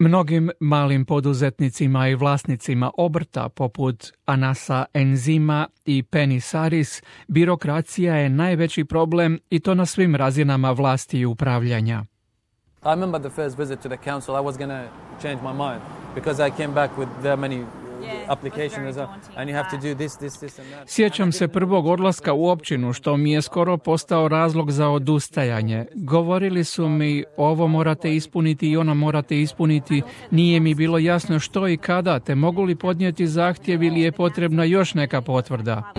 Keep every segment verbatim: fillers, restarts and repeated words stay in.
Mnogim malim poduzetnicima i vlasnicima obrta poput Anasa Enzima i Penny Saris birokracija je najveći problem i to na svim razinama vlasti i upravljanja. I remember the first visit to the council, I was going to change my mind because I came back with very many applications and you have to do this, this, this and that. Sjećam se prvog odlaska u općinu, što mi je skoro postao razlog za odustajanje. Govorili su mi, ovo morate ispuniti i ono morate ispuniti. Nije mi bilo jasno što i kada, te mogu li podnijeti zahtjev ili je potrebna još neka potvrda.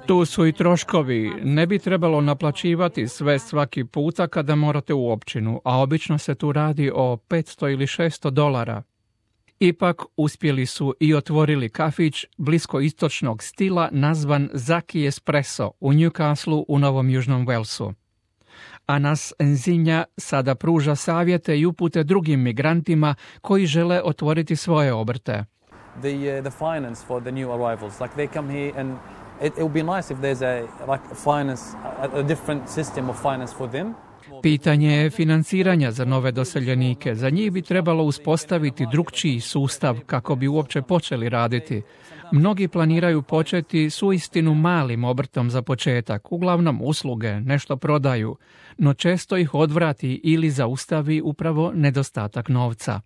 Tu su i troškovi. Ne bi trebalo naplaćivati sve svaki puta kada morate u općinu, a obično se tu radi o petsto ili šesto dolara. Ipak uspjeli su i otvorili kafić bliskoistočnog stila nazvan Zaki Espresso u Newcastleu u Novom Južnom Walesu. Anas Enzinja sada pruža savjete i upute drugim migrantima koji žele otvoriti svoje obrte. The, uh, the finance for the new arrivals, like they come here and it, it would be nice if there's a like finance, a, a different system of finance for them. Pitanje je financiranja za nove doseljenike. Za njih bi trebalo uspostaviti drukčiji sustav kako bi uopće počeli raditi. Mnogi planiraju početi s uistinu malim obrtom za početak, uglavnom usluge, nešto prodaju, no često ih odvrati ili zaustavi upravo nedostatak novca.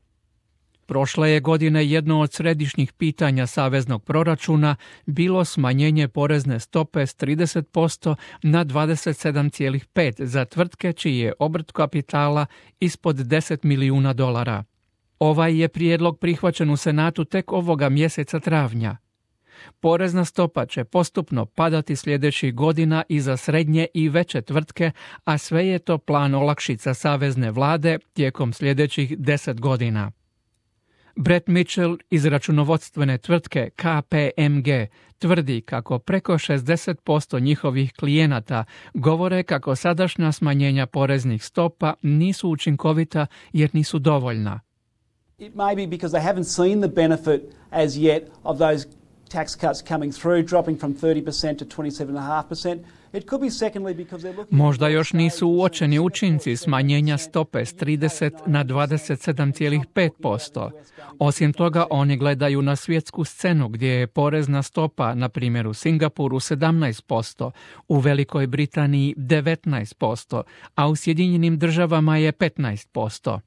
Prošle je godine jedno od središnjih pitanja saveznog proračuna bilo smanjenje porezne stope s trideset posto na dvadeset sedam zarez pet za tvrtke čiji je obrt kapitala ispod deset milijuna dolara. Ovaj je prijedlog prihvaćen u Senatu tek ovoga mjeseca travnja. Porezna stopa će postupno padati sljedećih godina i za srednje i veće tvrtke, a sve je to plan olakšica savezne vlade tijekom sljedećih deset godina. Brett Mitchell iz računovodstvene tvrtke K P M G tvrdi kako preko šezdeset posto njihovih klijenata govore kako sadašnja smanjenja poreznih stopa nisu učinkovita jer nisu dovoljna. It may be because they haven't seen the benefit as yet of those tax cuts coming through, dropping from thirty percent to twenty-seven point five percent. It could be secondly because they're looking... Možda još nisu uočeni učinci smanjenja stope s trideset na dvadeset sedam zarez pet posto. Osim toga, oni gledaju na svjetsku scenu gdje je porezna stopa, na primjer u Singapuru, sedamnaest posto, u Velikoj Britaniji devetnaest posto, a u Sjedinjenim državama je petnaest posto.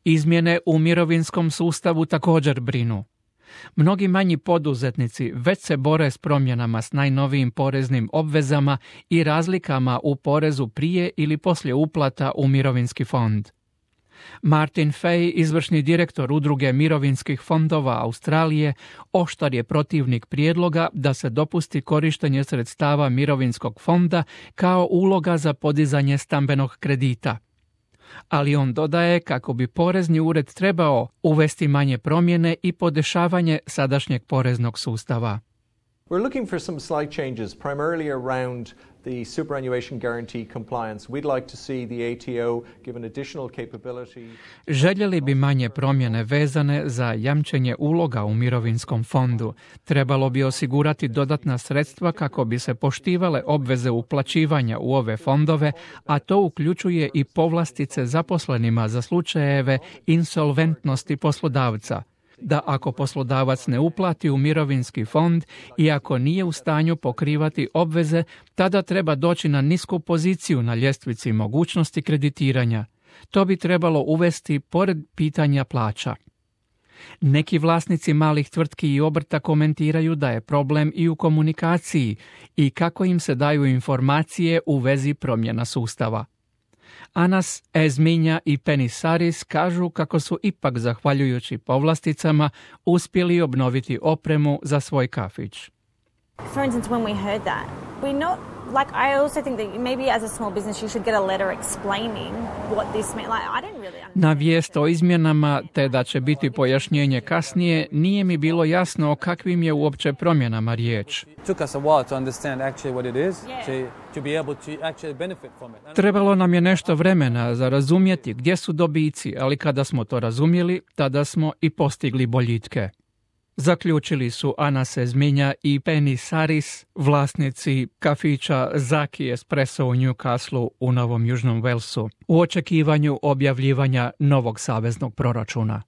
Izmjene u mirovinskom sustavu također brinu. Mnogi manji poduzetnici već se bore s promjenama s najnovijim poreznim obvezama i razlikama u porezu prije ili poslije uplata u mirovinski fond. Martin Fay, izvršni direktor udruge mirovinskih fondova Australije, oštar je protivnik prijedloga da se dopusti korištenje sredstava mirovinskog fonda kao uloga za podizanje stambenog kredita. Ali on dodaje kako bi porezni ured trebao uvesti manje promjene i podešavanje sadašnjeg poreznog sustava. We're looking for some slight changes, primarily around the superannuation guarantee compliance. We'd like to see the A T O given additional capability. Željeli bi manje promjene vezane za jamčenje uloga u mirovinskom fondu. Trebalo bi osigurati dodatna sredstva kako bi se poštivale obveze uplaćivanja u ove fondove, a to uključuje i povlastice zaposlenima za slučajeve insolventnosti poslodavca. Da ako poslodavac ne uplati u mirovinski fond i ako nije u stanju pokrivati obveze, tada treba doći na nisku poziciju na ljestvici mogućnosti kreditiranja. To bi trebalo uvesti pored pitanja plaća. Neki vlasnici malih tvrtki i obrta komentiraju da je problem i u komunikaciji i kako im se daju informacije u vezi promjena sustava. Anas Ezminja i Penny Saris kažu kako su ipak, zahvaljujući povlasticama, uspjeli obnoviti opremu za svoj kafić. For instance, when we heard that, we not like I also think that maybe as a small business you should get a letter explaining what this meant. Like I didn't really understand. Na vijest o izmjenama te da će biti pojašnjenje kasnije, nije mi bilo jasno o kakvim je uopće promjenama riječ. Trebalo nam je nešto vremena za razumjeti gdje su dobici, ali kada smo to razumjeli, tada smo i postigli boljitke. Zaključili su Ana Sezminja i Penny Saris, vlasnici kafića Zaki Espresso u Newcastle u Novom Južnom Walesu, u očekivanju objavljivanja novog saveznog proračuna.